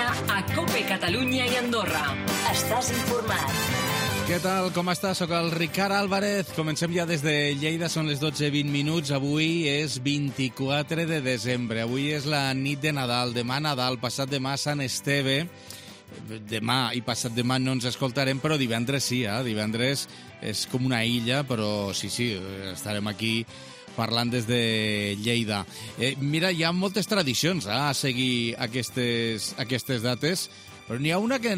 dia a COPE Catalunya i Andorra. Estàs informat. Què tal? Com estàs? Soc el Ricard Álvarez. Comencem ja des de Lleida, són les 12:20. Avui és 24 de desembre. Avui és la nit de Nadal. Demà Nadal, passat demà Sant Esteve. Demà i passat demà no ens escoltarem, però divendres sí, divendres és com una illa, però sí, estarem aquí parlant des de Lleida. Mira, hi ha moltes tradicions a seguir aquestes dates, però n'hi ha una que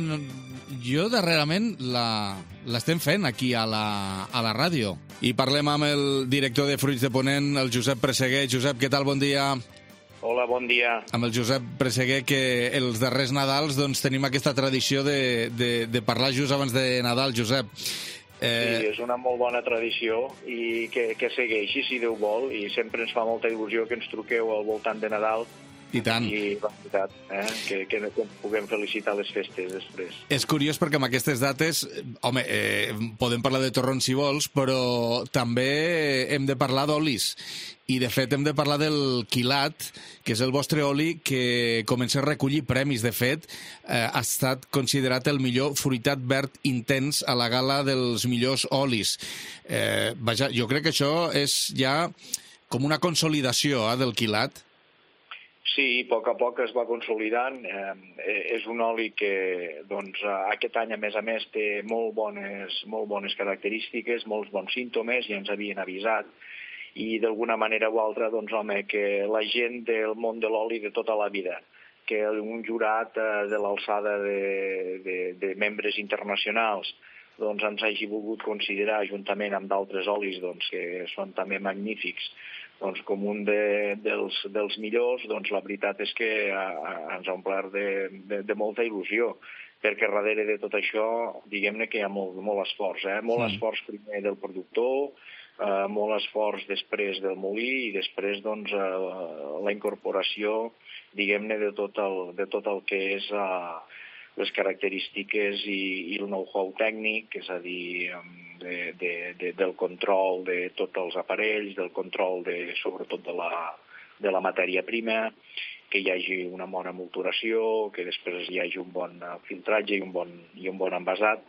jo darrerament l'estem fent aquí a la ràdio. I parlem amb el director de Fruits de Ponent, el Josep Presseguer. Josep, què tal? Bon dia. Hola, bon dia. Amb el Josep Presseguer, que els darrers Nadals doncs, tenim aquesta tradició de parlar just abans de Nadal, Josep. Sí, és una molt bona tradició i que segueixi, si Déu vol, i sempre ens fa molta il·lusió que ens truqueu al voltant de Nadal. I tant. I la veritat, que puguem felicitar les festes després. És curiós perquè amb aquestes dates, home, podem parlar de torrons si vols, però també hem de parlar d'olis. I, de fet, hem de parlar del quilat, que és el vostre oli que comença a recollir premis. De fet, ha estat considerat el millor fruitat verd intens a la gala dels millors olis. Vaja, jo crec que això és ja com una consolidació del quilat. Sí, a poc es va consolidant. És un oli que doncs, aquest any, a més, té molt bones característiques, molts bons símptomes, i ens havien avisat. I d'alguna manera o altra, doncs, home, que la gent del món de l'oli de tota la vida, que un jurat de l'alçada de membres internacionals doncs, ens hagi volgut considerar, juntament amb d'altres olis doncs, que són també magnífics, doncs, com un dels millors, doncs la veritat és que ens ha omplert de molta il·lusió, perquè darrere de tot això, diguem-ne que hi ha molt esforç, molt esforç primer del productor, molt esforç després del molí i després doncs, la incorporació, diguem-ne, de tot el que és les característiques i el know-how tècnic, és a dir, del control de tots els aparells, del control sobretot de la matèria prima, que hi hagi una bona molturació, que després hi hagi un bon filtratge i un bon envasat.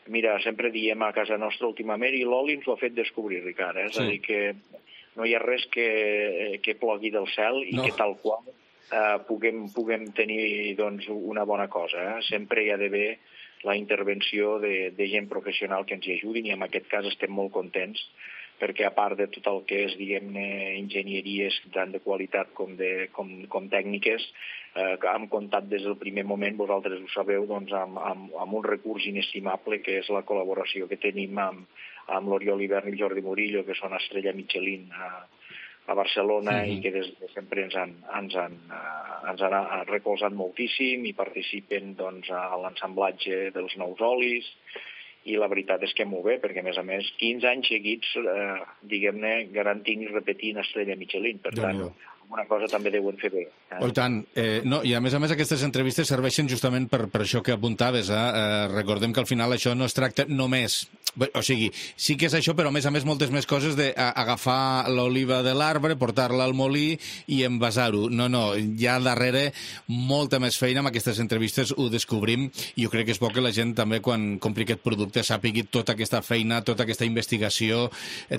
Mira, sempre diem a casa nostra últimament, i l'oli ens ho ha fet descobrir, Ricard, és a dir, que no hi ha res que plogui del cel i que tal qual puguem tenir doncs, una bona cosa. Sempre hi ha d'haver la intervenció de gent professional que ens hi ajudin, i en aquest cas estem molt contents, perquè a part de tot el que és, diguem-ne, enginyeries tant de qualitat com tècniques, hem comptat des del primer moment, vosaltres ho sabeu, doncs, amb un recurs inestimable, que és la col·laboració que tenim amb l'Oriol Hivern i el Jordi Murillo, que són estrella Michelin a Barcelona, i que des de sempre ens han recolzat moltíssim i participen doncs, a l'ensamblatge dels nous olis. I la veritat és que molt bé, perquè a més 15 anys seguits, diguem-ne, garantint i repetint estrella Michelin. Per tant, una cosa també deuen fer bé. Oh, i tant. No, i a més aquestes entrevistes serveixen justament per això que apuntaves. Recordem que al final això no es tracta només... O sigui, sí que és això, però a més moltes més coses d'agafar l'oliva de l'arbre, portar-la al molí i envasar-ho. No, hi ha darrere molta més feina. Amb aquestes entrevistes ho descobrim, i jo crec que és bo que la gent també, quan compri aquest producte, sàpigui tota aquesta feina, tota aquesta investigació,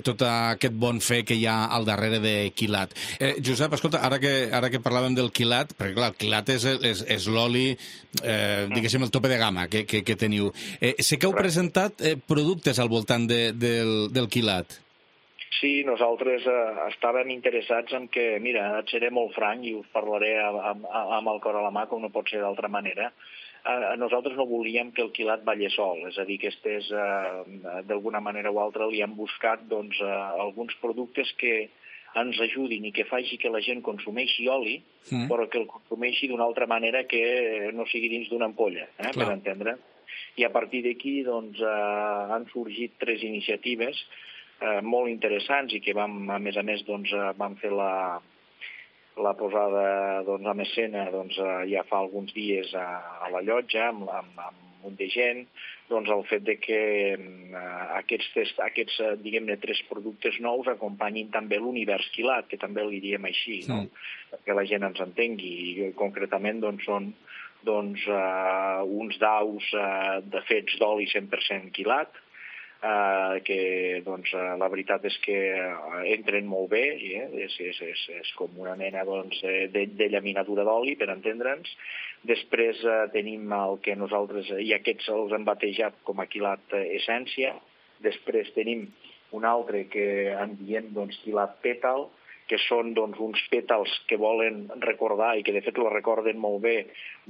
tot aquest bon fer que hi ha al darrere de quilat. Josep, escolta, ara que parlàvem del quilat, perquè clar, el quilat és l'oli, diguéssim, el tope de gamma que teniu. Sé que heu presentat productes al voltant del quilat. Sí, nosaltres estàvem interessats en que, mira, et seré molt franc i us parlaré amb el cor a la mà, com no pot ser d'altra manera. Nosaltres no volíem que el quilat ballés sol, és a dir, que estés, d'alguna manera o altra, li hem buscat doncs, alguns productes que ens ajudin i que faci que la gent consumeixi oli, però que el consumeixi d'una altra manera que no sigui dins d'una ampolla, per entendre. I a partir d'aquí doncs, han sorgit 3 iniciatives molt interessants, i que a més doncs, vam fer la posada doncs, en escena doncs, ja fa alguns dies a la llotja amb un munt de gent, doncs el fet de que aquests diguem-ne, 3 productes nous acompanyin també l'univers quilat, que també li diem així, no? Perquè la gent ens entengui, i concretament doncs, doncs, uns daus de fets d'oli 100% quilat, que doncs, la veritat és que entren molt bé, és com una mena doncs, de llaminadura d'oli, per entendre'ns. Després tenim el que nosaltres, i aquests els hem batejat com a quilat essència. Després tenim un altre que en diem doncs, quilat pètal, que són doncs, uns pètals que volen recordar, i que de fet ho recorden molt bé,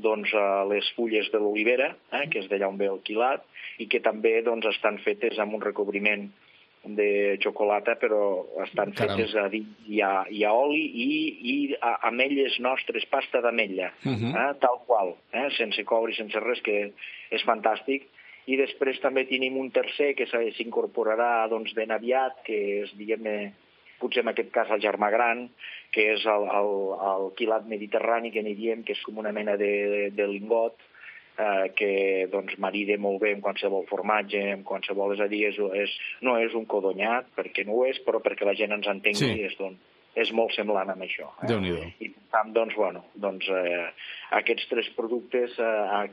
doncs, les fulles de l'olivera, que és d'allà on ve el quilat, i que també doncs, estan fetes amb un recobriment de xocolata, però estan fetes a dins. Hi ha oli i ametlles nostres, pasta d'ametlla, tal qual, sense coure, sense res, que és fantàstic. I després també tenim un tercer que s'incorporarà doncs, ben aviat, que és, diguem-ne, potser en aquest cas el germà gran, que és el quilat mediterrani, que n'hi diem, que és com una mena de lingot, que doncs, marida molt bé amb qualsevol formatge, amb qualsevol... És a dir, no és un codonyat, perquè no ho és, però perquè la gent ens entengui, és molt semblant amb això. Déu-n'hi-do. I per tant, doncs, aquests tres productes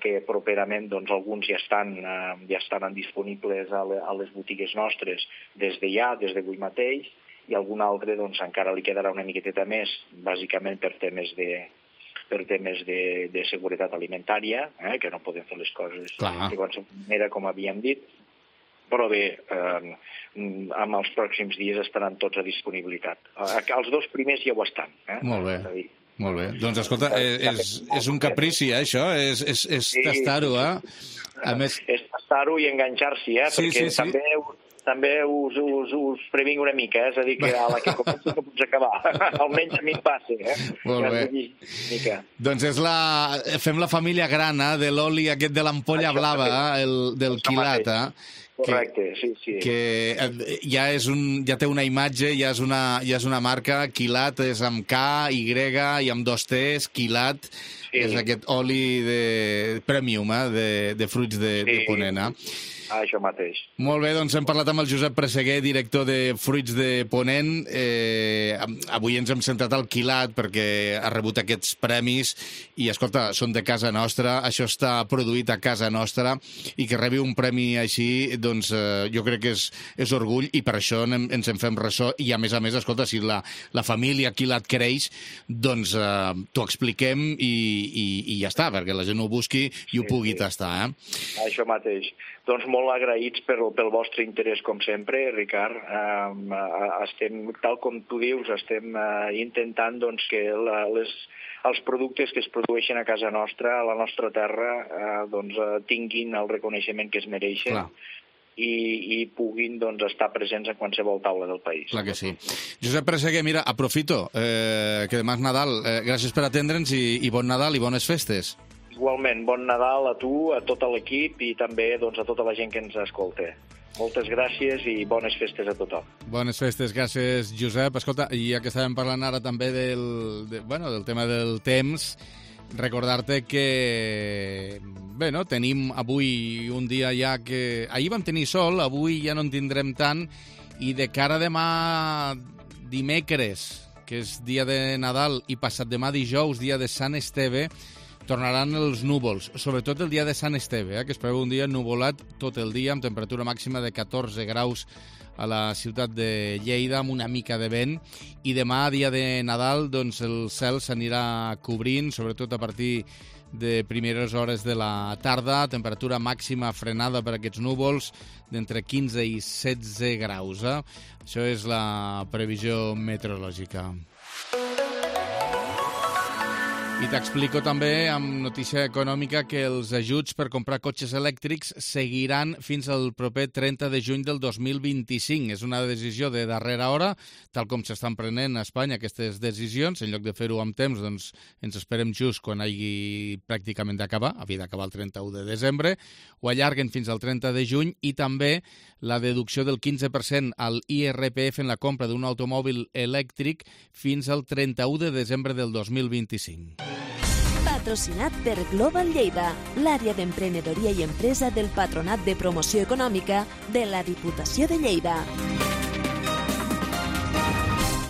que properament doncs, alguns ja estan disponibles a les botigues nostres des d'avui mateix, i algun altre doncs, encara li quedarà una miqueteta més, bàsicament per temes de seguretat alimentària, que no podem fer les coses de qualsevol manera, com havíem dit, però bé, en els pròxims dies estaran tots a disponibilitat. Els dos primers ja ho estan. Molt bé. Molt bé. Doncs, escolta, és un caprici, això? És tastar-ho, A més... És tastar-ho i enganxar-s'hi, perquè també us previnc una mica, és a dir, que a la que comenci no pots acabar. Almenys a mi em passa, Molt bé. Doncs fem la família gran, de l'oli aquest de l'ampolla blava, del quilat, Correcte, sí. Que ja té una imatge, ja és una marca, quilat és amb K, Y i amb 2 T's, quilat, és aquest oli premium, de fruits de Ponent. Això mateix. Molt bé, doncs hem parlat amb el Josep Presseguer, director de Fruits de Ponent. Avui ens hem centrat al quilat perquè ha rebut aquests premis i, escolta, són de casa nostra, això està produït a casa nostra i que rebi un premi així, doncs jo crec que és orgull i per això ens en fem ressò i, a més, escolta, si la família quilat creix, doncs t'ho expliquem i ja està, perquè la gent ho busqui i ho pugui tastar. Això mateix. Doncs molt agraïts pel vostre interès, com sempre, Ricard. Estem, tal com tu dius, estem intentant doncs, que els productes que es produeixen a casa nostra, a la nostra terra, doncs, tinguin el reconeixement que es mereixen. I puguin doncs, estar presents en qualsevol taula del país. Clar que sí. Josep Presseguer, mira, aprofito que demà és Nadal. Gràcies per atendre'ns i bon Nadal i bones festes. Igualment, bon Nadal a tu, a tot l'equip i també doncs, a tota la gent que ens escolta. Moltes gràcies i bones festes a tothom. Bones festes, gràcies, Josep. Escolta, ja que estàvem parlant ara també del tema del temps, recordar-te que tenim avui un dia ja que... Ahir vam tenir sol, avui ja no en tindrem tant, i de cara a demà dimecres, que és dia de Nadal, i passat demà dijous, dia de Sant Esteve, tornaran els núvols, sobretot el dia de Sant Esteve, que es preveu un dia nuvolat tot el dia, amb temperatura màxima de 14 graus a la ciutat de Lleida, amb una mica de vent, i demà, dia de Nadal, doncs el cel s'anirà cobrint, sobretot a partir de primeres hores de la tarda, temperatura màxima frenada per aquests núvols d'entre 15 i 16 graus. Això és la previsió meteorològica. I t'explico també, amb notícia econòmica, que els ajuts per comprar cotxes elèctrics seguiran fins al proper 30 de juny del 2025. És una decisió de darrera hora, tal com s'estan prenent a Espanya aquestes decisions. En lloc de fer-ho amb temps, doncs ens esperem just quan hagi pràcticament d'acabar, havia d'acabar el 31 de desembre, ho allarguen fins al 30 de juny i també la deducció del 15% al IRPF en la compra d'un automòbil elèctric fins al 31 de desembre del 2025. Patrocinat per Global Lleida, l'àrea d'emprenedoria i empresa del Patronat de Promoció Econòmica de la Diputació de Lleida.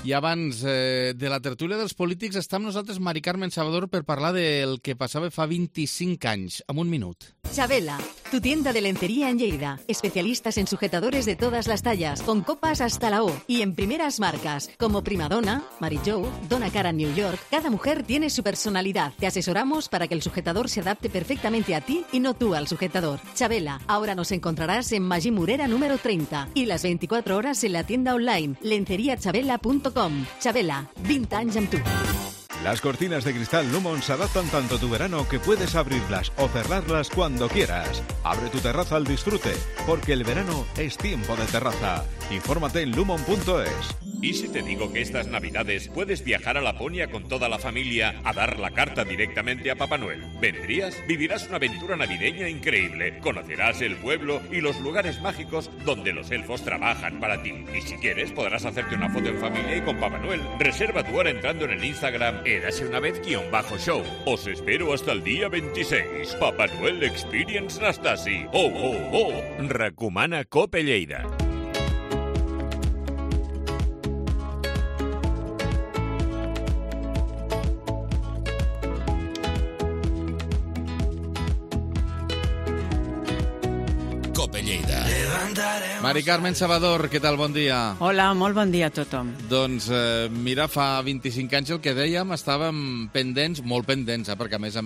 I abans de la tertúlia dels polítics està amb nosaltres Mari Carmen Salvador per parlar del que passava fa 25 anys, en un minut. Chabela, tu tienda de lencería en Lleida. Especialistas en sujetadores de todas las tallas, con copas hasta la O y en primeras marcas, como Primadonna, Mary Jo, Donna Cara New York. Cada mujer tiene su personalidad. Te asesoramos para que el sujetador se adapte perfectamente a ti y no tú al sujetador. Chabela, ahora nos encontrarás en Magí Morera número 30 y las 24 horas en la tienda online lenceriachabela.com. Chabela, 20 anys amb tu. Las cortinas de cristal Lumon se adaptan tanto a tu verano que puedes abrirlas o cerrarlas cuando quieras. Abre tu terraza al disfrute, porque el verano es tiempo de terraza. Infórmate en lumon.es. ¿Y si te digo que estas Navidades puedes viajar a Laponia con toda la familia a dar la carta directamente a Papá Noel? ¿Vendrías? Vivirás una aventura navideña increíble. Conocerás el pueblo y los lugares mágicos donde los elfos trabajan para ti. Y si quieres, podrás hacerte una foto en familia y con Papá Noel. Reserva tu hora entrando en el Instagram eraseunavez_show. Os espero hasta el día 26. Papá Noel Experience Nastasi. ¡Oh, oh, oh! Recomana Cope Lleida. Cope Lleida. Mari Carmen Salvador, què tal? Bon dia. Hola, molt bon dia a tothom. Doncs mira, fa 25 anys el que dèiem, estàvem pendents, molt pendents, perquè a més,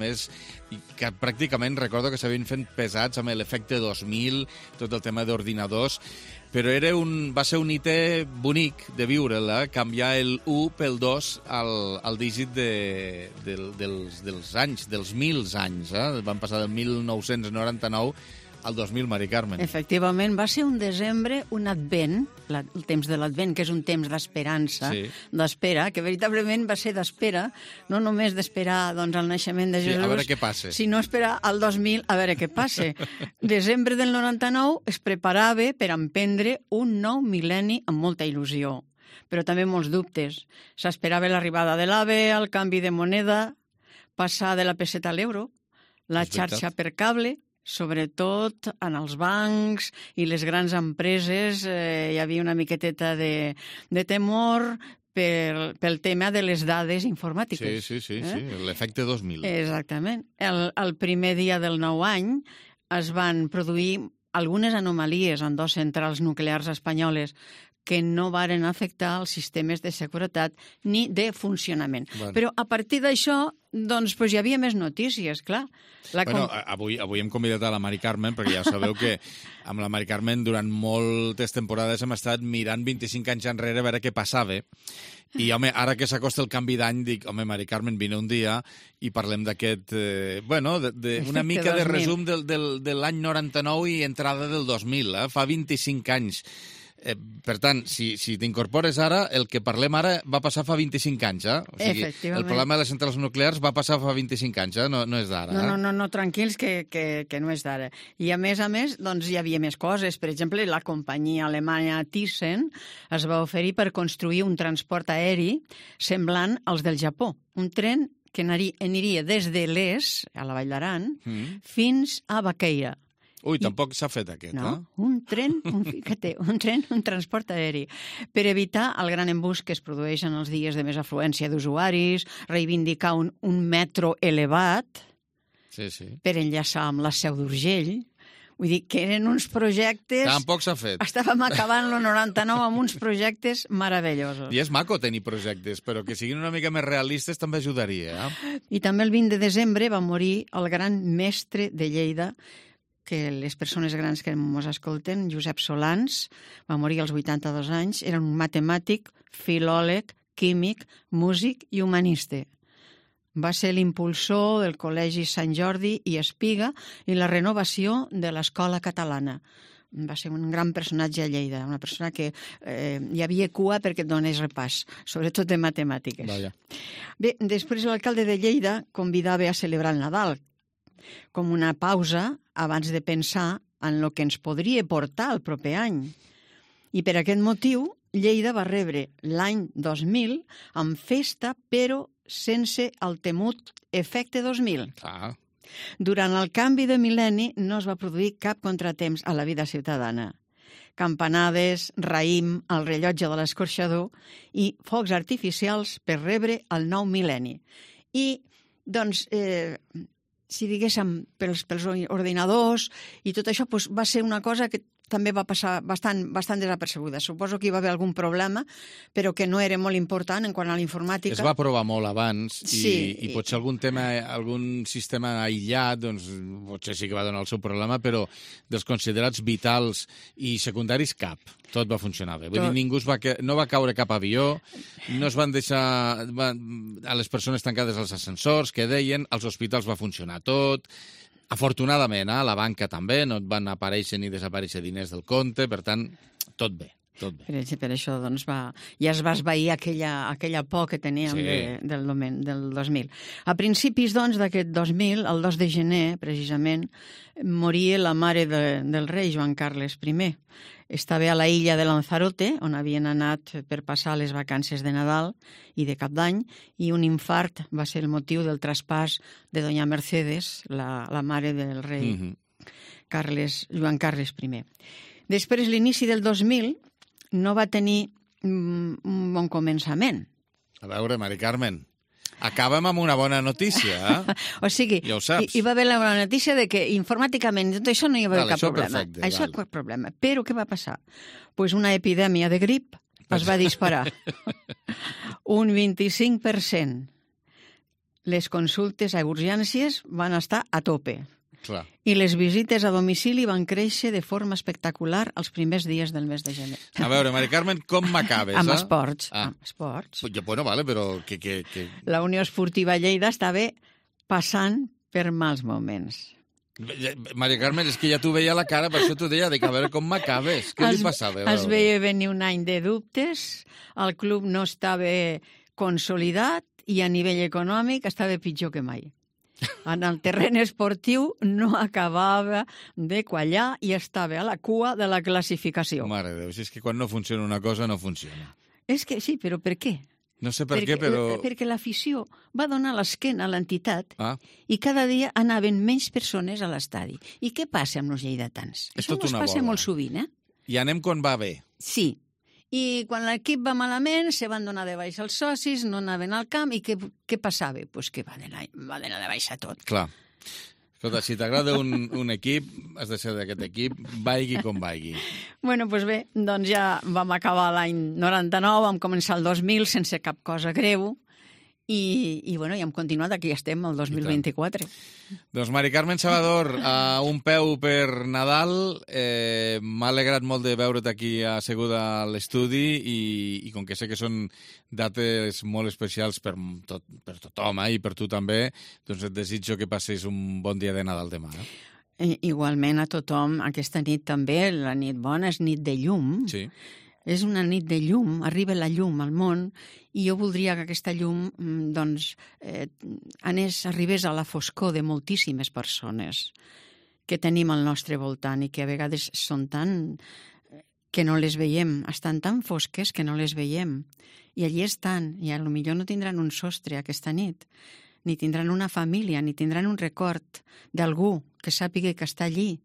que pràcticament recordo que s'havien fet pesats amb l'efecte 2000, tot el tema d'ordinadors, però va ser un hito bonic de viure-la, canviar el 1 pel 2 al dígit dels anys, dels 1000 anys. Van passar del 1999 al 2000, Mari Carmen. Efectivament, va ser un desembre, un advent, el temps de l'advent, que és un temps d'esperança, d'espera, que veritablement va ser d'espera, no només d'esperar el naixement de Jesús, a veure què passa, sinó esperar al 2000 a veure què passa. Desembre del 99 es preparava per emprendre un nou mil·lenni amb molta il·lusió, però també molts dubtes. S'esperava l'arribada de l'AVE, el canvi de moneda, passar de la peseta a l'euro, la xarxa per cable. Sobretot en els bancs i les grans empreses hi havia una miqueteta de temor pel tema de les dades informàtiques. Sí, l'efecte 2000. Exactament. El primer dia del nou any es van produir algunes anomalies en 2 centrals nuclears espanyoles que no varen afectar els sistemes de seguretat ni de funcionament. Bueno. Però a partir d'això, hi havia més notícies, clar. Avui hem convidat a la Mari Carmen, perquè ja sabeu que amb la Mari Carmen durant moltes temporades hem estat mirant 25 anys enrere a veure què passava. I, home, ara que s'acosta el canvi d'any, dic, home, Mari Carmen, vine un dia i parlem d'aquest, una mica de resum de l'any 99 i entrada del 2000, fa 25 anys. Per tant, si t'incorpores ara, el que parlem ara va passar fa 25 anys, O sigui, el problema de les centrals nuclears va passar fa 25 anys, no és d'ara. No, tranquils, que no és d'ara. I a més, hi havia més coses. Per exemple, la companyia alemanya Thyssen es va oferir per construir un transport aeri semblant als del Japó. Un tren que aniria des de l'Es, a la Vall d'Aran, fins a Baqueira. Ui, tampoc s'ha fet aquest, no? Un transport aeri, per evitar el gran embús que es produeix en els dies de més afluència d'usuaris, reivindicar un metro elevat per enllaçar amb la Seu d'Urgell. Vull dir que eren uns projectes... Tampoc s'ha fet. Estàvem acabant el 99 amb uns projectes meravellosos. I és maco tenir projectes, però que siguin una mica més realistes també ajudaria. I també el 20 de desembre va morir el gran mestre de Lleida, que les persones grans que ens escolten, Josep Solans, va morir als 82 anys, era un matemàtic, filòleg, químic, músic i humanista. Va ser l'impulsor del Col·legi Sant Jordi i Espiga i la renovació de l'escola catalana. Va ser un gran personatge a Lleida, una persona que hi havia cua perquè et donés repàs, sobretot de matemàtiques. Vaja. Bé, després l'alcalde de Lleida convidava a celebrar el Nadal, com una pausa abans de pensar en el que ens podria portar el proper any. I per aquest motiu, Lleida va rebre l'any 2000 amb festa, però sense el temut efecte 2000. Durant el canvi de mil·lenni no es va produir cap contratemps a la vida ciutadana. campanades, raïm, el rellotge de l'escorxador i focs artificials per rebre el nou mil·lenni. I, doncs, si diguéssim, pels ordinadors i tot això, doncs, va ser una cosa que també va passar bastant desapercebuda. Suposo que hi va haver algun problema, però que no era molt important en quant a la informàtica. Es va provar molt abans i potser algun tema, algun sistema aïllat, doncs potser sí que va donar el seu problema, però dels considerats vitals i secundaris cap. Tot va funcionar bé. Vull dir, ningú no va caure cap avió, no es van deixar a les persones tancades als ascensors, que deien, als hospitals va funcionar tot. Afortunadament, a la banca també, no et van aparèixer ni desaparèixer diners del compte, per tant, tot bé. Per això doncs, ja es va esvair aquella por que teníem del 2000. A principis doncs, d'aquest 2000, el 2 de gener, precisament, moria la mare del rei, Joan Carles I. Estava a la illa de Lanzarote, on havien anat per passar les vacances de Nadal i de Cap d'Any, i un infart va ser el motiu del traspàs de doña Mercedes, la mare del rei Joan Carles I. Després, l'inici del 2000 no va tenir un bon començament. A veure, Mari Carmen, acabem amb una bona notícia. O sigui, ja ho saps. Hi va haver la bona notícia de que informàticament tot això no hi va haver cap problema. Perfecte, això és cap problema. Però què va passar? Pues una epidèmia de grip es va disparar. Un 25%. Les consultes a urgències van estar a tope. Clar. I les visites a domicili van créixer de forma espectacular els primers dies del mes de gener. A veure, Mari Carmen, com m'acabes? Amb esports. Amb esports. Bueno, vale, però que... La Unió Esportiva Lleida estava passant per mals moments. Mari Carmen, és que ja t'ho veia a la cara, per això t'ho deia, a veure com m'acabes. Què li passava? Es veia venir un any de dubtes, el club no estava consolidat i a nivell econòmic estava pitjor que mai. En el terreny esportiu no acabava de quallar i estava a la cua de la classificació. Mare de Déu, si és que quan no funciona una cosa, no funciona. És que sí, però per què? No sé per què, però... Perquè l'afició va donar l'esquena a l'entitat i cada dia anaven menys persones a l'estadi. I què passa amb els lleidatans? Això ens passa molt sovint, I anem quan va bé. Sí. I quan l'equip va malament, se van donar de baixa els socis, no anaven al camp, i què passava? Doncs que va d'anar de baixa tot. Clar. Escolta, si t'agrada un equip, has de ser d'aquest equip, vaigui com vaigui. Bueno, doncs bé, doncs ja vam acabar l'any 99, vam començar el 2000 sense cap cosa greu, i bueno, ja hem continuat, aquí estem, el 2024. Doncs Mari Carmen Salvador, un peu per Nadal, m'ha alegrat molt de veure't aquí asseguda a l'estudi i com que sé que són dates molt especials per tothom i per tu també, doncs et desitjo que passis un bon dia de Nadal demà. Igualment a tothom, aquesta nit també, la nit bona és nit de llum. Sí. És una nit de llum, arriba la llum al món i jo voldria que aquesta llum arribés a la foscor de moltíssimes persones que tenim al nostre voltant i que a vegades són tan que no les veiem, estan tan fosques que no les veiem. I allí estan, i potser no tindran un sostre aquesta nit, ni tindran una família, ni tindran un record d'algú que sàpiga que està allí,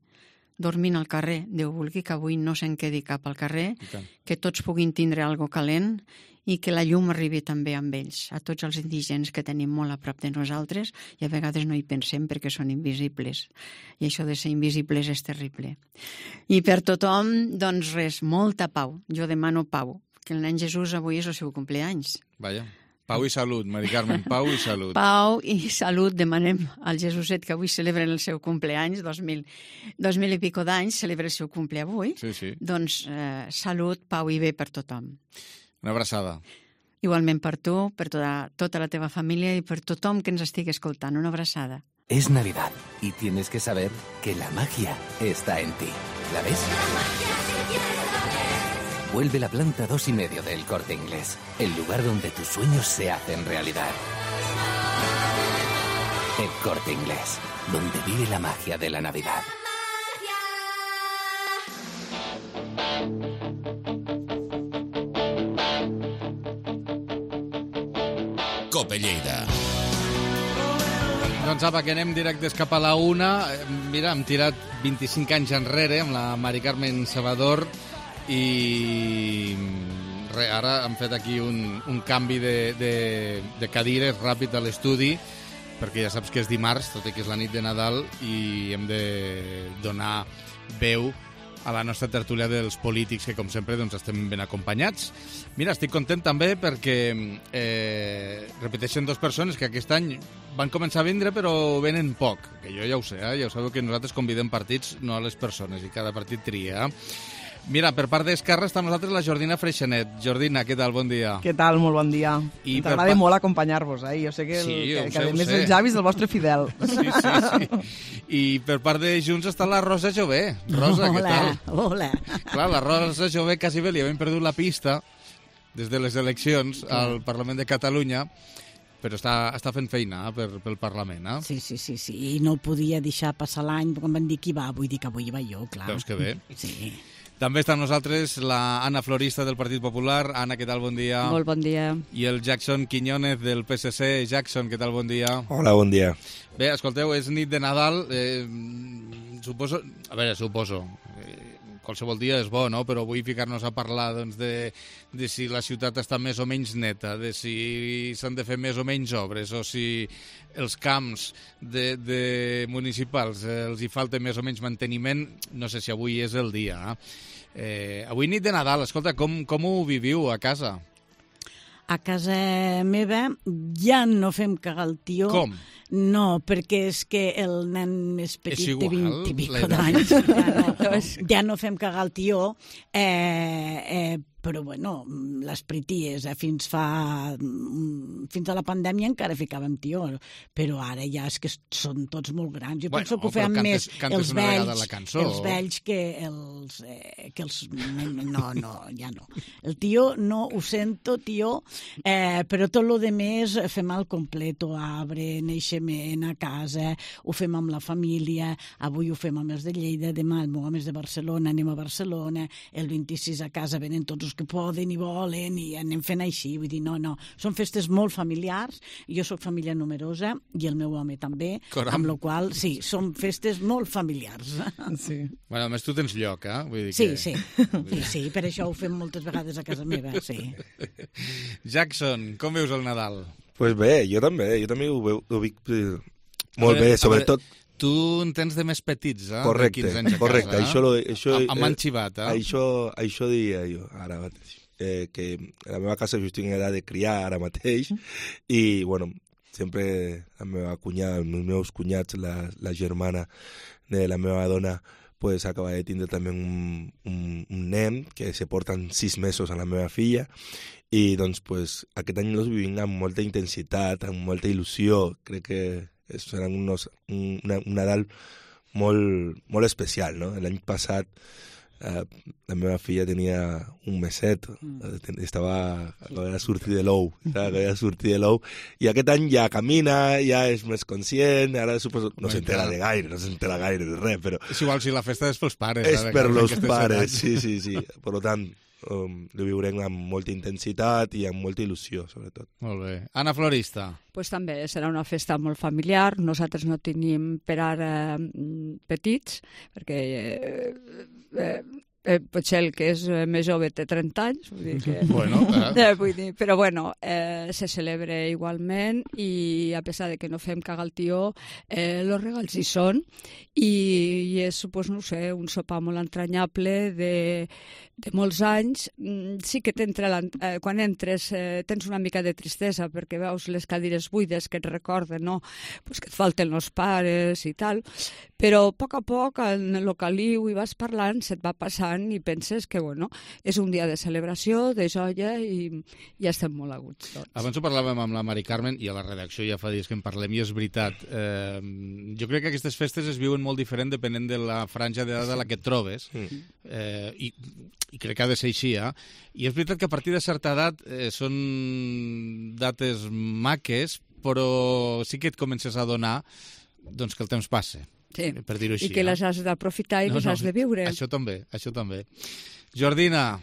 dormint al carrer. Déu vulgui que avui no se'n quedi cap al carrer, que tots puguin tindre algo calent i que la llum arribi també amb ells, a tots els indigents que tenim molt a prop de nosaltres i a vegades no hi pensem perquè són invisibles. I això de ser invisibles és terrible. I per tothom, doncs res, molta pau. Jo demano pau, que el nen Jesús avui és el seu cumpleanys. Vaja. Pau i salut, Mari Carmen, pau i salut. Pau i salut demanem al Jesuset, que avui celebra el seu cumpleanys, 2000 i pico d'anys, celebra el seu cumple avui. Sí. Doncs salut, pau i bé per tothom. Una abraçada. Igualment per tu, per tota la teva família i per tothom que ens estigui escoltant. Una abraçada. Es Navidad y tienes que saber que la magia está en ti. ¿La ves? Vuelve la planta 2,5 del Corte Inglés, el lugar donde tus sueños se hacen realidad. El Corte Inglés, donde vive la magia de la Navidad. Cope Lleida. Doncs apa, que anem directes cap a la una. Mira, hem tirat 25 anys enrere amb la Mari Carmen Salvador i ara hem fet aquí un canvi de cadires ràpid a l'estudi, perquè ja saps que és dimarts, tot i que és la nit de Nadal, i hem de donar veu a la nostra tertúlia dels polítics, que com sempre doncs, estem ben acompanyats. Mira, estic content també perquè repeteixen dues persones que aquest any van començar a vindre però venen poc, que jo ja ho sé, ja ho sabeu que nosaltres convidem partits, no a les persones, i cada partit tria. Mira, per part d'Esquerra està amb nosaltres la Jordina Freixanet. Jordina, què tal? Bon dia. Què tal? Molt bon dia. I t'agrada molt acompanyar-vos, eh? Jo sé que, que a més el Javi és el vostre fidel. Sí. I per part de Junts està la Rosa Jové. Rosa, què tal? Hola. Clar, la Rosa Jové quasi bé li havien perdut la pista des de les eleccions al Parlament de Catalunya, però està fent feina pel Parlament, eh? Sí. I no podia deixar passar l'any, quan van dir qui va, vull dir que avui va jo, clar. Veus que bé. Sí. També està amb nosaltres la Anna Florista del Partit Popular. Anna, què tal? Bon dia. Molt bon dia. I el Jackson Quiñónez del PSC. Jackson, què tal? Bon dia. Hola, bon dia. Bé, escolteu, és nit de Nadal. Suposo... qualsevol dia és bo, no? Però vull ficar-nos a parlar doncs, de si la ciutat està més o menys neta, de si s'han de fer més o menys obres, o si els camps de municipals els hi falta més o menys manteniment. No sé si avui és el dia. Avui nit de Nadal, escolta, com ho viviu a casa? A casa meva ja no fem cagar el tió. Com? No, perquè és que el nen més petit té 20 i pico d'anys. Ja no fem cagar el tió, però bueno, les prities fins a la pandèmia encara ficàvem tió, però ara ja és que són tots molt grans. Jo penso que ho feien més els vells que els... No, ja no. El tió no ho sento, tió, però tot el més fem al completo, arbre, naixement a casa, ho fem amb la família, avui ho fem amb els de Lleida, demà el meu home és de Barcelona, anem a Barcelona, el 26 a casa venen tots els que poden i volen i anem fent així, vull dir, no, són festes molt familiars, jo sóc família numerosa i el meu home també, amb la qual sí, són festes molt familiars. Sí. Bueno, a més tu tens lloc, eh? Vull dir que... Sí, per això ho fem moltes vegades a casa meva, sí. Jackson, com veus el Nadal? Pues bé, jo també ho veig molt bé, sobretot... Tu en tens de més petits, eh? Correcte, de 15 anys a casa, això amb enxivat, eh? Això diria jo, ara mateix. Que a la meva casa jo estic en edat de criar ara mateix i, bueno, sempre la meva cunyada, els meus cunyats, la germana de la meva dona, pues acaba de tindre també un nen que se porten 6 mesos a la meva filla i, doncs, pues, aquest any els vivim amb molta intensitat, amb molta il·lusió. Crec que serà un Nadal molt especial, no? L'any passat la meva filla tenia un meset, acabava de sortir de l'ou, i aquest any ja camina, ja és més conscient, ara suposo no s'entera gaire de res, però... És igual si la festa és pels pares. És per els pares, sí. Per tant, ho viurem amb molta intensitat i amb molta il·lusió, sobretot. Molt bé. Anna Florista. Pues també serà una festa molt familiar. Nosaltres no tenim per ara petits, perquè potser el que és més jove té 30 anys, vull dir que... Però bueno, se celebra igualment i a pesar de que no fem cagar el tió, els regals hi són i és, no sé, un sopar molt entranyable de molts anys. Sí que quan entres tens una mica de tristesa perquè veus les cadires buides que et recorden, no? Pues que et falten els pares i tal, però a poc en el caliu i vas parlant se't va passant i penses que, bueno, és un dia de celebració, de joia i ja estem molt a gust tots. Abans ho parlàvem amb la Mari Carmen i a la redacció ja fa dies que en parlem i és veritat. Jo crec que aquestes festes es viuen molt diferent depenent de la franja d'edat a la que et trobes i crec que ha de ser així, I és veritat que a partir de certa edat són dates maques, però sí que et comences a adonar doncs, que el temps passa. Sí, per dir-ho així. I que les has d'aprofitar i les has de viure. Això també. Jordina.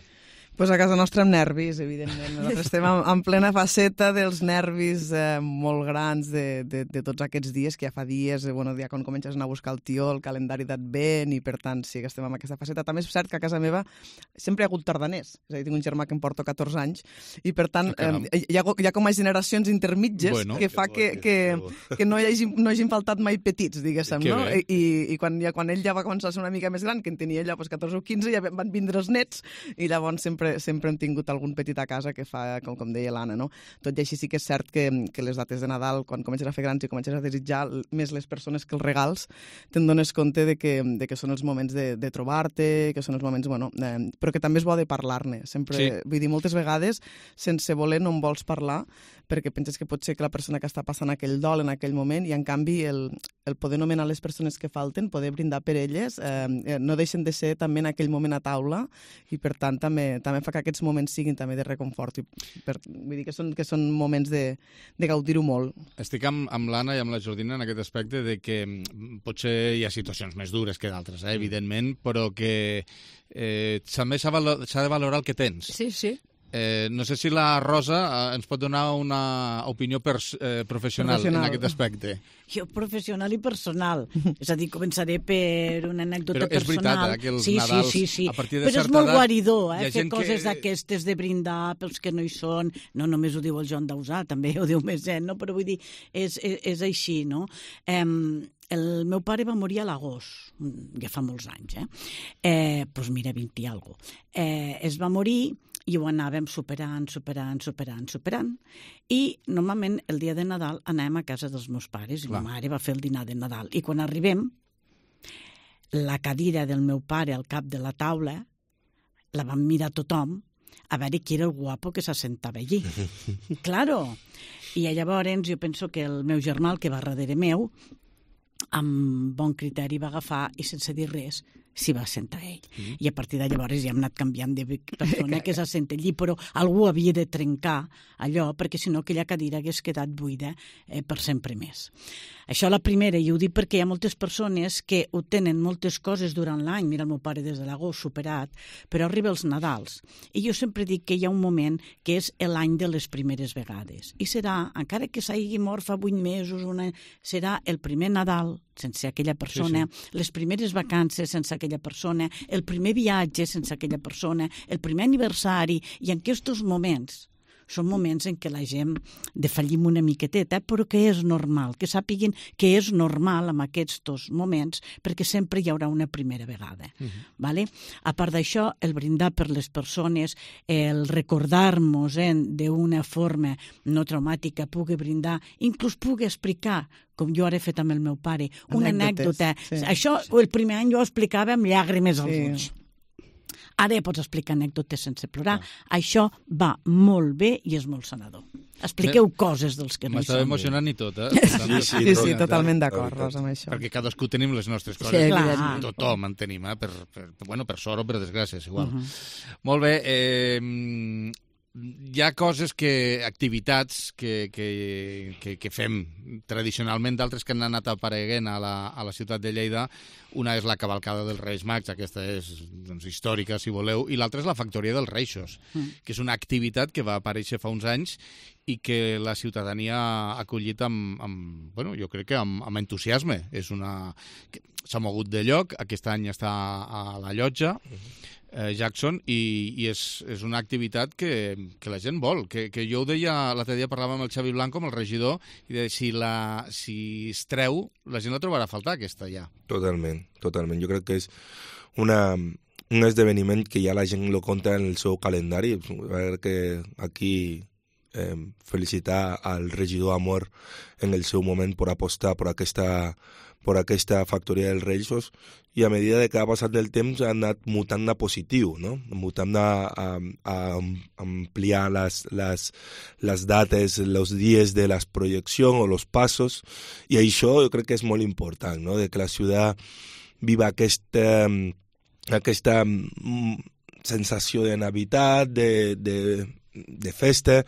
Pues a casa nostra amb nervis, evidentment. Nosaltres estem en plena faceta dels nervis molt grans de tots aquests dies, que ja fa dies, ja quan comences a anar a buscar el tió, el calendari d'advent, i per tant sí que estem en aquesta faceta. També és cert que a casa meva sempre hi ha hagut tardaners. És a dir, tinc un germà que em porto 14 anys, i per tant hi ha com a generacions intermitges que fa que no hagin faltat mai petits, diguéssim, no? I quan ell ja va començar a ser una mica més gran, que en tenia ella 14 o 15, ja van vindre els nets, i llavors sempre hem tingut algun petit a casa que fa, com deia l'Anna, no? Tot i així sí que és cert que les dates de Nadal, quan comences a fer grans i comences a desitjar més les persones que els regals, te'n dones compte de que són els moments de trobar-te, que són els moments, però que també és bo de parlar-ne. Sempre, vull dir, moltes vegades, sense voler no en vols parlar, perquè penses que pot ser que la persona que està passant aquell dol en aquell moment, i en canvi el poder nomenar les persones que falten, poder brindar per elles, no deixen de ser també en aquell moment a taula, i per tant també fa que aquests moments siguin també de reconfort. Vull dir que són moments de gaudir-ho molt. Estic amb l'Anna i amb la Jordina en aquest aspecte de que potser hi ha situacions més dures que d'altres, evidentment, però que també s'ha de valorar el que tens. Sí. No sé si la Rosa ens pot donar una opinió professional en aquest aspecte. Jo professional i personal. És a dir, començaré per una anècdota personal. Però és veritat, que els Nadals, sí. a partir de però certa edat... Però és molt guaridor, fer coses d'aquestes de brindar pels que no hi són. No només ho diu el Joan Dausà, també ho diu més gent, no? Però vull dir, és així, no? El meu pare va morir a l'agost, ja fa molts anys, doncs mira, 20 i alguna cosa. Es va morir i ho anàvem superant. I normalment el dia de Nadal anàvem a casa dels meus pares i ma mare va fer el dinar de Nadal. I quan arribem, la cadira del meu pare al cap de la taula la vam mirar tothom a veure qui era el guapo que s'assentava allí. Claro! I llavors jo penso que el meu germà, el que va darrere meu, amb bon criteri va agafar i sense dir res s'hi va assentar ell. I a partir de llavors ja hem anat canviant de persona que s'assenta allí, però algú havia de trencar allò, perquè si no aquella cadira hagués quedat buida per sempre més. Això la primera, i ho dic perquè hi ha moltes persones que ho tenen moltes coses durant l'any, mira el meu pare des de l'agost superat, però arriba els Nadals. I jo sempre dic que hi ha un moment que és l'any de les primeres vegades. I serà, encara que s'hagi mort fa 8 mesos, serà el primer Nadal sense aquella persona, les primeres vacances sense aquella persona, el primer viatge sense aquella persona, el primer aniversari, i en aquests moments són moments en què la gent defallim una miqueteta, però que és normal, que sàpiguen que és normal en aquests moments, perquè sempre hi haurà una primera vegada. Vale? A part d'això, el brindar per les persones, el recordar-nos d'una forma no traumàtica, pugui brindar, inclús pugui explicar, com jo ara he fet amb el meu pare, una anècdota. Això, el primer any jo ho explicava amb llàgrimes als ulls. Ara ja pots explicar anècdotes sense plorar. Això va molt bé i és molt sanador. Expliqueu coses dels que no hi són. M'estava emocionant i tot, Sí, totalment d'acord, Rosa, amb això. Perquè cadascú tenim les nostres coses. Tothom en tenim, per sort o per desgràcia, és igual. Molt bé, hi ha activitats que fem tradicionalment, d'altres que han anat apareguent a la ciutat de Lleida. Una és la cavalcada dels Reis Mags, aquesta és històrica, si voleu, i l'altra és la Factoria dels Reixos, que és una activitat que va aparèixer fa uns anys i que la ciutadania ha acollit jo crec que amb entusiasme. S'ha mogut de lloc, aquest any està a la Llotja, Jackson, i és una activitat que la gent vol, que jo ho deia, l'altre dia parlava amb el Xavi Blanco, amb el regidor, i deia, si es treu, la gent la trobarà a faltar, aquesta ja. Totalment. Jo crec que és un esdeveniment que ja la gent lo compta en el seu calendari. A veure que aquí felicitar al regidor Amor en el seu moment per apostar per aquesta factoria dels Reixos, i a medida que ha passat el temps ha anat mutant a positiu, no? Mutant a ampliar les dates, els dies de les projeccions o els passos, i això jo crec que és molt important, no? De que la ciutat viva aquesta sensació de Navidad, de de festa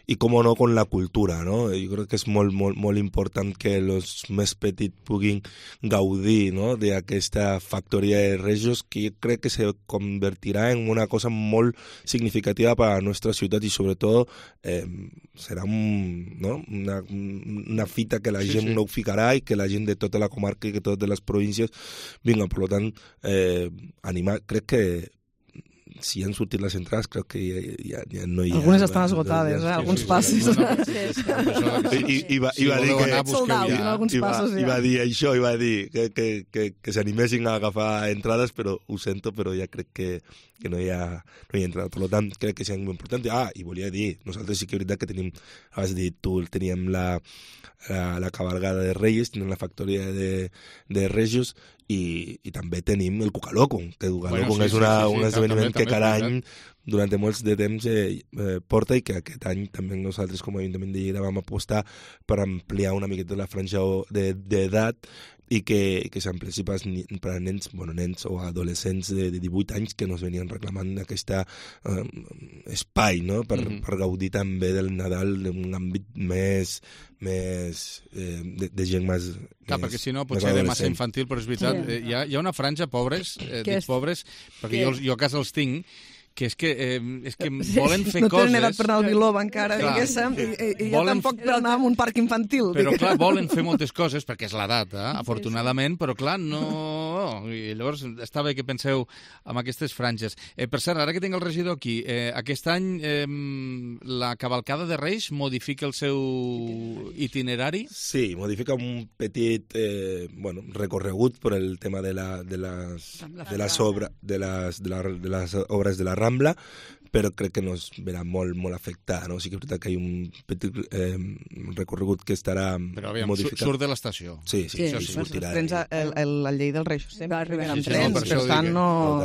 i, com no, con la cultura, no? Jo crec que és molt important que els més petits puguin gaudir, no?, d'aquesta factoria de Regios, que jo crec que se convertirà en una cosa molt significativa per a la nostra ciutat i sobretot serà una fita que la gent no ho ficarà i que la gent de tota la comarca i que totes les províncies vinga, per tant, animar, crec que si han sortit les entrades, crec que ja no hi ha... Algunes estan esgotades, alguns passos. I va dir que... I va dir això, i va dir que s'animessin a agafar entrades, però ho sento, però ja crec que no hi ha entrada. Per tant, crec que és molt important. I volia dir, nosaltres sí que és veritat que tenim, has dit tu, teníem la cabalgada de Reyes, tenim la factoria de Regios, i també tenim el Cucaloco, que el Cucaloco és un esdeveniment que cada any durant molts de temps porta, i que aquest any també nosaltres com a Ajuntament de Lleida vam apostar per ampliar una miqueta la franja d'edat i que s'ampliessi per a nens o adolescents de 18 anys que nos venien reclamant aquest espai, no?, per gaudir també del Nadal en un àmbit més de gent més... Clar, perquè si no pot ser de massa infantil, però és veritat, hi ha una franja, pobres, dic pobres, perquè jo a casa els tinc, que és que volen fer coses... No tenen edat per anar al Biloba encara, diguéssim, i jo tampoc per anar a un parc infantil. Però clar, volen fer moltes coses, perquè és l'edat, afortunadament, però clar, no... I llavors està bé que penseu en aquestes franges. Per cert, ara que tinc el regidor aquí, aquest any la cavalcada de Reis modifica el seu itinerari? Sí, modifica un petit recorregut per el tema de les obres de la Rambla, però crec que nos verà molt afectada, no? Sí que és veritat que hi ha un petit recorregut que estarà modificat. Surt de l'estació. Sí, sortirà. Els trens a Lleida del Reis sempre arriben amb trens, per tant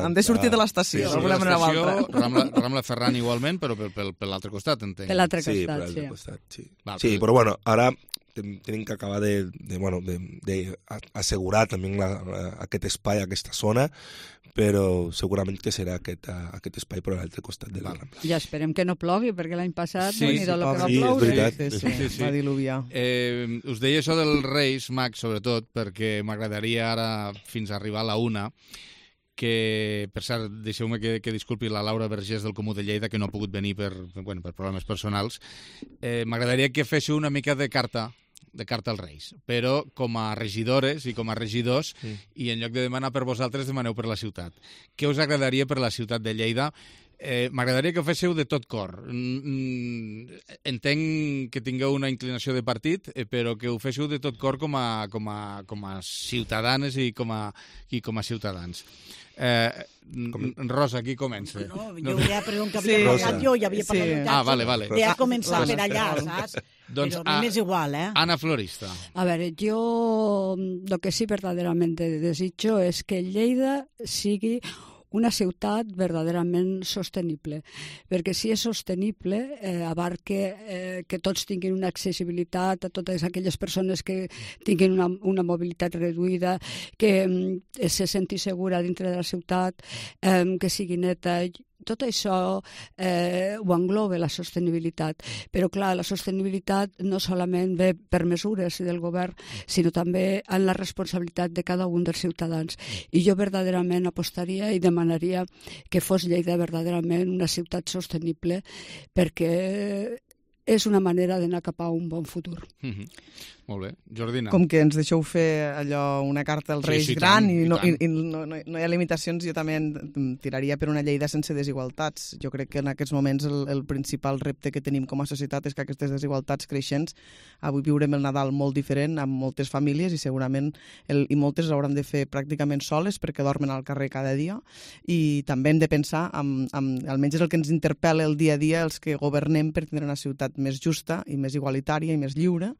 han de sortir de l'estació, d'alguna manera o altra. Rambla Ferran igualment, però per l'altre costat, entenc. Per l'altre costat, sí. Per l'altre costat, sí. Sí, però bueno, ara tenim que acabar d'assegurar també aquest espai, aquesta zona, però segurament que serà aquest espai per a l'altre costat de la Rambla. Ja esperem que no plogui, perquè l'any passat és veritat. Va diluviar. Us deia això dels Reis Mags, sobretot, perquè m'agradaria ara, fins a arribar a la 1, que, per cert, deixeu-me que disculpi la Laura Vergés del Comú de Lleida, que no ha pogut venir per problemes personals. M'agradaria que féssiu una mica de carta als Reis, però com a regidores i com a regidors, i en lloc de demanar per vosaltres, demaneu per la ciutat. Què us agradaria per la ciutat de Lleida? M'agradaria que ho féssiu de tot cor. Entenc que tingueu una inclinació de partit, però que ho féssiu de tot cor com a ciutadanes i com a ciutadans. Rosa, qui comença? No, jo ja pregunto que havia parlat jo, ja havia parlat vale. Ja començar per allà, saps? Doncs, però m'és igual, Ana Florista. A veure, jo lo que sí verdaderamente desitjo és que Lleida sigui una ciutat verdaderament sostenible, perquè si és sostenible abarque que tots tinguin una accessibilitat a totes aquelles persones que tinguin una mobilitat reduïda, que se senti segura dintre de la ciutat, que sigui neta. Tot això ho engloba la sostenibilitat, però clar, la sostenibilitat no solament ve per mesures del govern, sinó també en la responsabilitat de cada un dels ciutadans. I jo verdaderament apostaria i demanaria que fos Lleida verdaderament una ciutat sostenible, perquè és una manera d'anar cap a un bon futur. Molt bé. Jordina. Com que ens deixeu fer allò, una carta als Reis gran i no hi ha limitacions, jo també tiraria per una Lleida sense desigualtats. Jo crec que en aquests moments el principal repte que tenim com a societat és que aquestes desigualtats creixents, avui viurem el Nadal molt diferent amb moltes famílies i segurament i moltes hauran de fer pràcticament soles perquè dormen al carrer cada dia, i també hem de pensar, almenys és el que ens interpel·la el dia a dia, els que governem, per tindre una ciutat més justa i més igualitària i més lliure,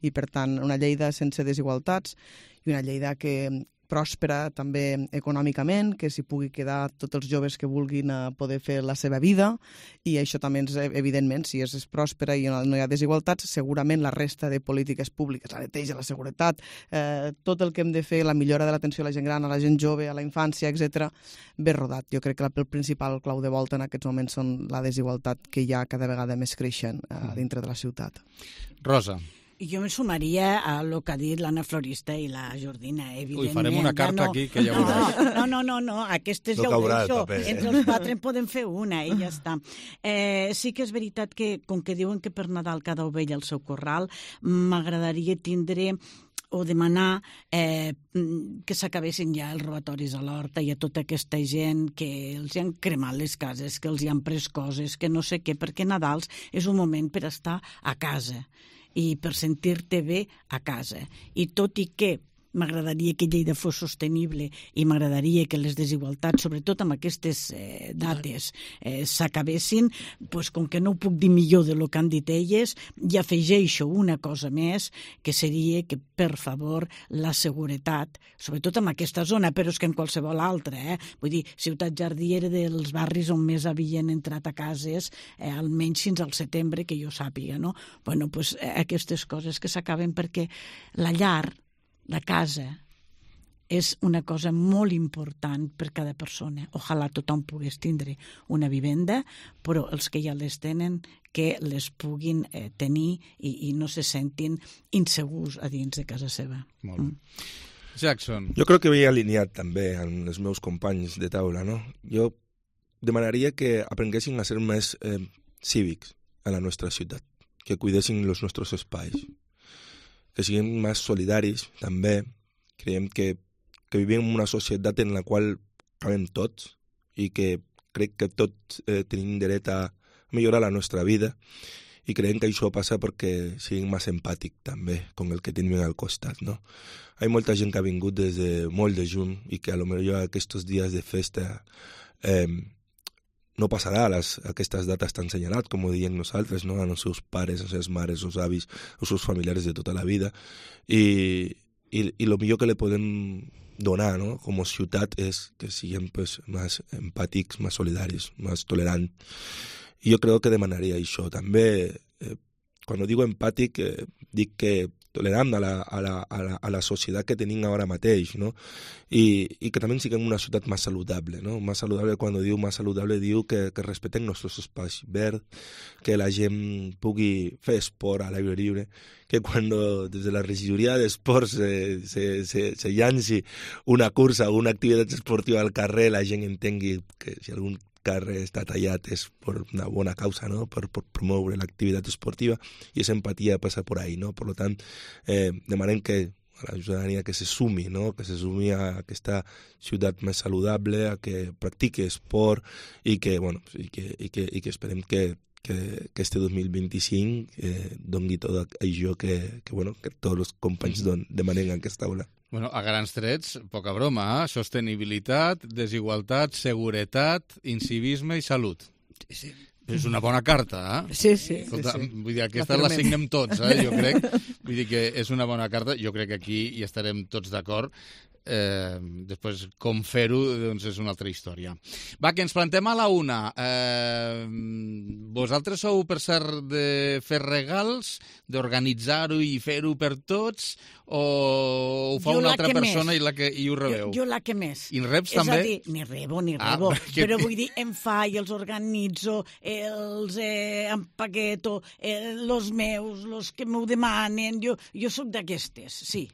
i per tant una Lleida sense desigualtats i una Lleida que pròspera també econòmicament, que s'hi pugui quedar tots els joves que vulguin poder fer la seva vida, i això també és, evidentment, si és pròspera i no hi ha desigualtats, segurament la resta de polítiques públiques, la neteja, la seguretat, tot el que hem de fer, la millora de l'atenció a la gent gran, a la gent jove, a la infància, etc., ve rodat. Jo crec que el principal clau de volta en aquests moments són la desigualtat que hi ha cada vegada més creixent dintre de la ciutat. Rosa. Jo me sumaria a lo que ha dit l'Anna Florista i la Jordina, evidentment. Ui, farem una carta aquí que ja veuràs. No, aquestes ja ho deixo. Entre els 4 en podem fer una i ja està. Sí que és veritat que, com que diuen que per Nadal cada ovella al seu corral, m'agradaria tindre o demanar que s'acabessin ja els robatoris a l'horta i a tota aquesta gent que els han cremat les cases, que els han pres coses, que no sé què, perquè Nadals és un moment per estar a casa i per sentir-te bé a casa. I tot i que m'agradaria que Lleida fos sostenible i m'agradaria que les desigualtats, sobretot amb aquestes dates, s'acabessin, doncs com que no ho puc dir millor de lo que han dit elles, i afegeixo una cosa més, que seria que, per favor, la seguretat, sobretot en aquesta zona, però és que en qualsevol altra, vull dir, Ciutat Jardí era dels barris on més havien entrat a cases, almenys fins al setembre, que jo sàpiga, no? Bueno, doncs aquestes coses que s'acaben perquè la llar, la casa, és una cosa molt important per cada persona. Ojalà tothom pogués tindre una vivenda, però els que ja les tenen, que les puguin tenir i no se sentin insegurs a dins de casa seva. Molt bé. Jackson. Jo crec que veia alineat també amb els meus companys de taula, no? Jo demanaria que aprenguessin a ser més cívics a la nostra ciutat, que cuidessin els nostres espais, que siguem més solidaris, també. Creiem que vivim en una societat en la qual cabem tots i que crec que tots tenim dret a millorar la nostra vida i creiem que això passa perquè siguem més empàtics també amb el que tenim al costat, no? Hi ha molta gent que ha vingut des de molt de juny i que a lo millor aquests dies de festa no passarà aquestes dates tan senyalats, com ho diem nosaltres, no? Els seus pares, les seves mares, els avis, els seus familiars de tota la vida. I el millor que li podem donar, no? Com a ciutat és que siguem pues, més empàtics, més solidaris, més tolerants. I jo crec que demanaria això. També, quan dic empàtic, dic que tolerant a la societat que tenim ara mateix, no? I que també siguem una ciutat més saludable, no? Més saludable, quan diu més saludable, diu que respetem els nostres espais verds, que la gent pugui fer esport a l'aire lliure, que quan des de la regidoria d'esports se llanci una cursa o una activitat esportiva al carrer, la gent entengui que si algun carrer està tallat és per una bona causa, no? Per promoure l'activitat esportiva, i aquesta empatia passa per ahí, no? Per tant, demanem que a la ciutadania que se sumi, no? Que se sumi a aquesta ciutat més saludable, a que practiqui esport i que, bueno, i que esperem que este 2025 doni tot això que tots els companys demanen en aquesta aula. Bueno, a grans trets, poca broma, sostenibilitat, desigualtat, seguretat, incivisme i salut. Sí. És una bona carta, eh? Sí. Escolta, vull dir, aquesta la signem tots, jo crec. Vull dir que és una bona carta, jo crec que aquí hi estarem tots d'acord. Després, com fer-ho, doncs és una altra història. Va, que ens plantem a la una. Vosaltres sou, per cert, de fer regals, d'organitzar-ho i fer-ho per tots, o ho fa una altra persona i ho rebeu? Jo la que més. I en reps també? És a dir, ni rebo, però vull dir, em fa i els organitzo, els empaqueto, els meus, els que m'ho demanen, jo soc d'aquestes, sí.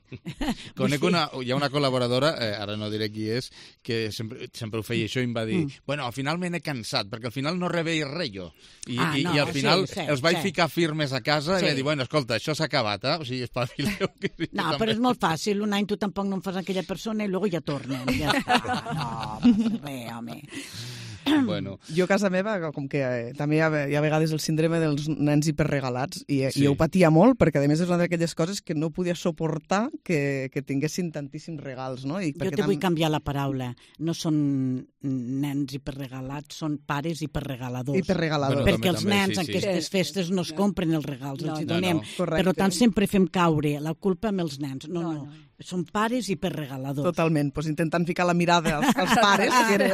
Conec hi ha una col·laboradora, ara no diré qui és, que sempre ho feia això i em va dir, bueno, al final me n'he cansat, perquè al final no rebeia res jo. I al final els vaig ficar firmes a casa i vaig dir, bueno, escolta, això s'ha acabat, o sigui, espavileu. No, però és molt fàcil, un any tu tampoc no em fas aquella persona i luego ja tornen. Ja està. No, res, home. Bueno. Jo a casa meva, com que també hi ha a vegades el síndrome dels nens hiperregalats, i ho patia molt, perquè a més és una d'aquelles coses que no podia suportar que tinguessin tantíssims regals, no? Jo te vull canviar la paraula. No són nens hiperregalats, són pares hiperregaladors. Hiperregaladors. Perquè els nens en aquestes festes no es compren els regals, els hi donem. Per tant, sempre fem caure la culpa amb els nens. No. Són pares i per regaladors. Totalment, doncs intentant ficar la mirada als pares, que era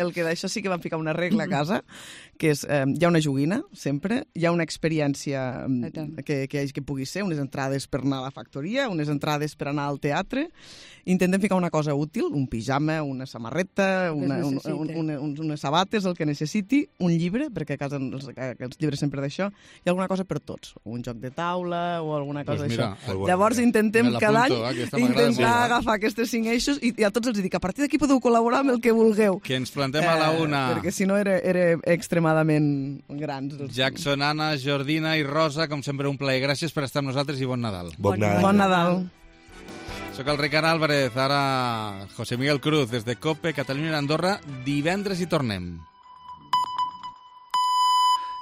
el que d'això sí que van ficar una regla a casa, que és, hi ha una joguina, sempre, hi ha una experiència que pugui ser, unes entrades per anar a la factoria, unes entrades per anar al teatre, intentem ficar una cosa útil, un pijama, una samarreta, unes sabates, el que necessiti, un llibre, perquè a casa els llibres sempre d'això, i alguna cosa per tots, un joc de taula o alguna cosa d'això. Llavors intentem cada any intentar agafar aquests 5 eixos i a tots els dic, a partir d'aquí podeu col·laborar amb el que vulgueu. Que ens plantem a la una. Perquè si no era extremadament grans. Jackson, Anna, Jordina i Rosa, com sempre un plaer. Gràcies per estar amb nosaltres i bon Nadal. Bon Nadal. Bon Nadal. Soc el Ricard Álvarez, ara José Miguel Cruz, des de COPE, Catalunya i Andorra. Divendres hi tornem.